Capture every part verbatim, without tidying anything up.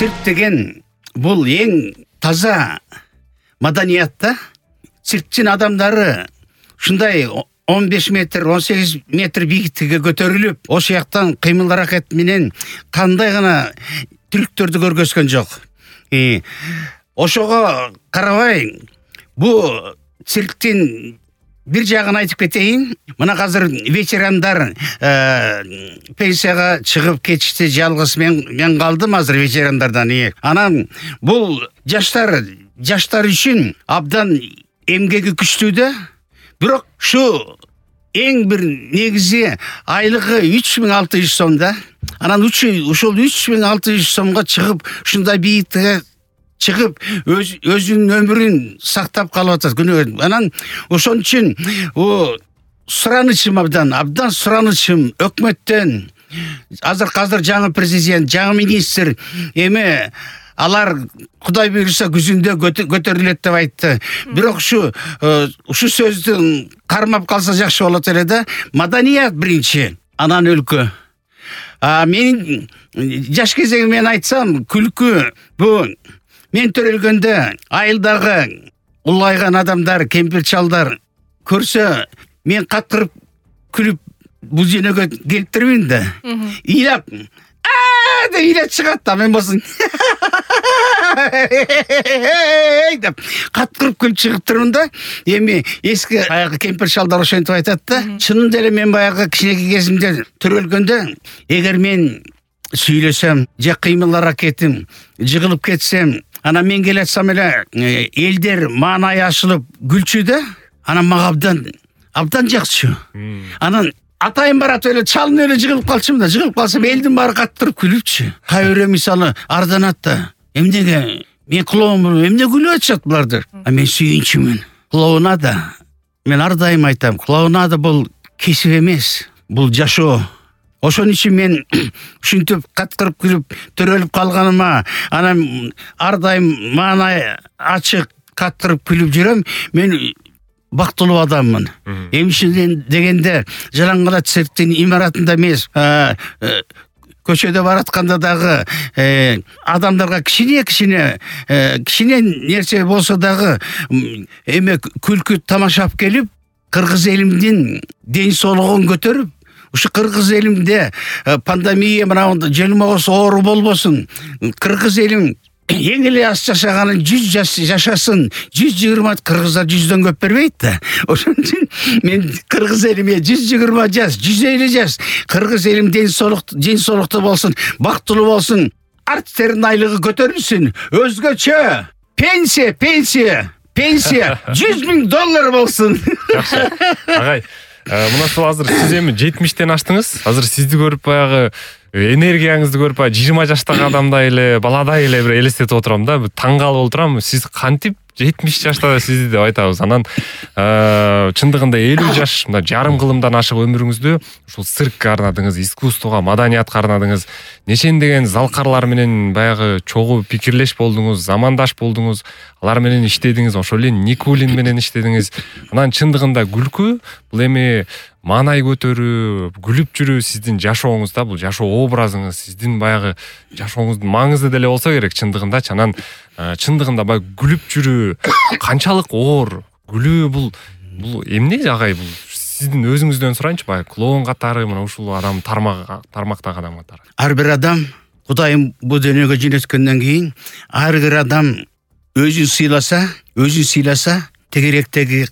Цирк деген бул эң таза маданият да. Цирктин адамдары ушундай он беш метр, он сегиз метр бийиктикке көтөрүлүп, ошол жактан кыймыл аракет менен кандай гана трюктөрдү көргөзгөн жок. И ошого карабай, бул цирктин бир жагын айтып кетейин. Мына азыр ветерандар пенсияга чыгып кетишти, жалгыз мен мен калдым азыр ветерандардан. Анан бул жаштар жаштар үчүн абдан эмгеги күчтүү да. Бирок ушу эң бир негизи айлыгы үч миң алты жүз сом да. Анан ушул үч миң алты жүз сомго чыгып, ушундай бийиктикке чыгып, өз, өзүнүн өмүрүн сактап калып атат күнүгө. Анан ошон үчүн о суранычым абдан, абдан суранычым өкмөттөн. Азыр азыр жаңы президент, жаңы министр эме алар Кудай буйруса күзүндө көтөрүлөт деп айтты. Бирок ушу ушу сөздүн кармап калса жакшы болот эле да. Маданият биринчи, анан өлкө. А менин жаш кезегим мен айтсам, күлкү бу мен төрөлгөндө айылдагы улгайган адамдар, кемпир чалдар көрсө, мен каткырып күлүп бул жөнөгө келиптирмин да. Ыйлап, а деп ыйлап чыгат да, мен болсун деп каткырып күлүп чыгып турмун да. Эми эски аягы кемпир чалдар ошентип айтат да. Чынында эле мен баягы кичинекей кезимде төрөлгөндө, эгер мен сүйлөсөм, же кыймыл аракетим жыгылып кетсем, анан мен келе атсам эле элдер маанай ашылып күлчү да. Анан мага абдан абдан жакчы. Анан атайын баратып эле чалынып эле жыгылып калчумун да. Жыгылып калсам элдин баары каттырып күлүпчү. Кай бирөө мисалы арданат да. Эмнеге мен кулоомун, эмне күлүп атышат буларды? А мен сүйүнчүмүн. Клоунада, мен ар дайым айтам, клоунада бул кесип эмес, бул жашоо. Ошон үчүн мен ушинтип каткырып күлүп төрөлүп калганыма, анан ар дайым маанай ачык каткырып күлүп жүрөм. Мен бактылуу адаммын. Эмишин дегенде Жалаңгала цирктин имаратында эмес, көчөдө баратканда дагы адамдарга кичине кичине кичине нерсе болсо дагы эме күлкү тамашап келип, кыргыз элимдин ден соолугун көтөрүп, ушу кыргыз элимде пандемия мына желмогос оору болбосун, кыргыз элим эң эле аз жашаганын жүз жашасын, жүз жыйырма кыргыздар жүздөн көп бербейт да. Ошон үчүн мен кыргыз элиме жүз жыйырма жаш, жүз элүү жаш, кыргыз элим ден соолук, ден соолуктуу болсун, бактылуу болсун, артистердин айлыгы көтөрүлсүн, өзгөчө пенсия, пенсия, пенсия жүз миң доллар болсун. Жакшы. Агай, мынасы азыр сиз эми жетимиштен аштыңыз. Азыр сизди көрүп баягы энергияңызды көрүп жыйырма жаштагы адамдай эле, баладай эле бир элестетип отурам да. Таң калып отурам. Сиз кантип жетимиш жашта сизди деп айтабыз. Анан чындыгында элүү жаш, мына жарым кылымдан ашык өмүрүңүздү ушул циркке арнадыңыз, искусствого, маданиятка арнадыңыз. Нечендеген залкарлар менен баягы чогуу пикирлеш болдуңуз, замандаш болдуңуз. Алар менен иштедиңиз, ошол эле Никулин менен иштедиңиз. Анан чындыгында күлкү бул эми маанай көтөрүү, күлүп жүрүү сиздин жашооңузда, бул жашоо образыңыз, сиздин баягы жашооңуздун маңызы деле болсо керек чындыгындачы. Анан чындыгында баягы күлүп жүрүү канчалык оор? Күлүү бул бул эмне агай? Бул сиздин өзүңүздөн сурайынчы, баягы клоун катары, мына ушул адам тармак тармактагы адам катары. Ар бир адам Кудайым бул дүйнөгө жөнөткөндөн кийин ар бир адам өзүн сыйласа, өзүн сыйласа, тегеректеги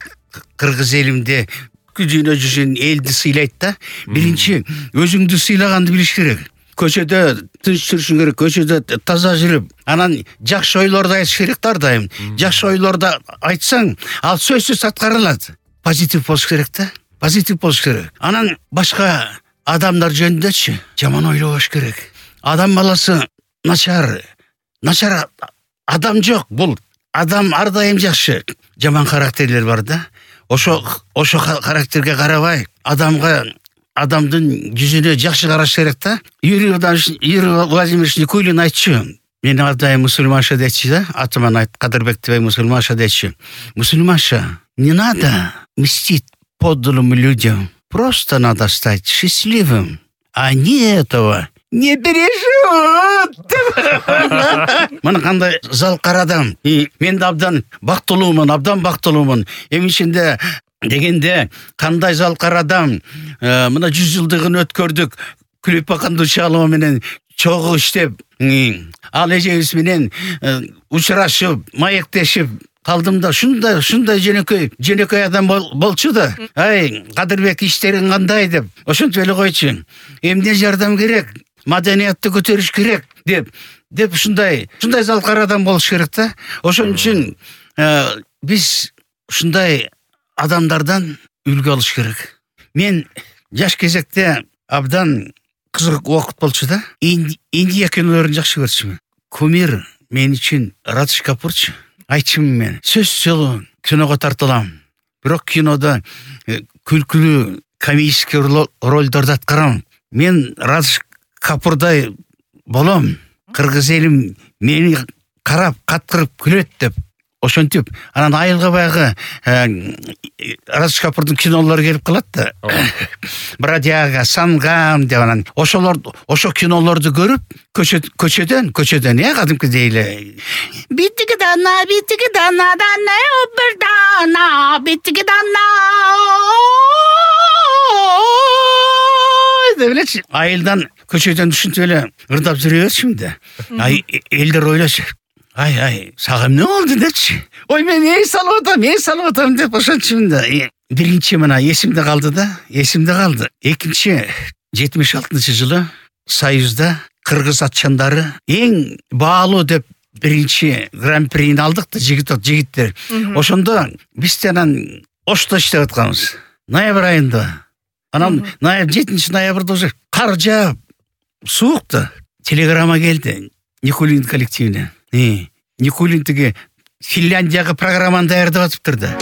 кыргыз элимде күзүнө жүргөн элди сыйлайт да. Биринчи өзүңдү сыйлаганды билиш керек. Көчөдө тынч жүрүшүң керек, көчөдө таза жүрүп, анан жакшы ойлорду айтыш керек да ар дайым. Жакшы ойлорду айтсаң, ал сөзсүз аткарылат. Позитив болуш керек да. Позитив болуш керек. Анан башка адамдар жөнүндөчү жаман ойлобош керек. Адам баласы начар, начар адам жок. Бул адам ар дайым жакшы. Жаман характерлер бар да. Ошо ошо характерге карабай, адамга адамдын жүзүнө жакшы караш керек да. Юрий Владимирович Никулин айтчу. Мен ар дайым мусульманша дейчи да. Атыман айт, Кадырбектебей мусульманша дейчи. Мусульманша, не надо мстить подлым людям. Просто надо стать счастливым. Они этого не бережет деп. Мына кандай залкар адам. Мен да абдан бактылуумун, абдан бактылуумун. Эми ичинде дегенде кандай залкар адам. Мына жүз жылдыгын өткөрдүк. Күлөпа Кандучалова менен чогуу иштеп, ал эжебиз менен учурашып, маектешип калдым да, шундай шундай жөнөкөй жөнөкөй адам болчу да. Ай, Кадырбек иштериң кандай деп, ошентип эле койчу. Эмне жардам керек? Маданиятты көтөрүш керек деп деп ушундай ушундай залкар адам болуш керек да. Ошон үчүн биз ушундай адамдардан үлгү алыш керек. Мен жаш кезекте абдан кызык убакыт болчу да. Индия кинолорун жакшы көрчүмүн. Кумир мен үчүн Радж Капурчу. Айтчымын мен. Сөз жолу киного тартылам. Бирок кинода күлкүлүү комический ролдорду аткарам. Мен Радж Капурдай болом. Кыргыз элим мени карап каткырып күлөт деп. Ошентип, анан айылга баягы Радж Капурдун кинолору келип калат да. Бродяга, Сангам деп анан ошолор ошо кинолорду көрүп, көчөдөн, көчөдөн, э, кадимкидей эле. Битиги дана, битиги дана, дана, бир дана, битиги дана. Деп элечи. Айылдан көчөдөн түшүнтүп эле ырдап жүрө берчүмүн да. Ай, элдер ойлочу. Ай, ай, сага эмне болду депчи. Ой, мен эй салып атам, эй салып атам деп ошончумун да. Биринчи мына эсимде калды да, эсимде калды. Экинчи жетимиш алтынчы жылы Союзда кыргыз атчандары эң баалуу деп биринчи гран-прини алдык да, жигит жигиттер. Ошондо биз анан Ошто иштеп атканбыз. Ноябрь айында. Анан жетинчи ноябрда уже кар жаап, суук да. Телеграмма келди Никулин коллективине. Никулин тиги Финляндияга программаны даярдап атыптыр да.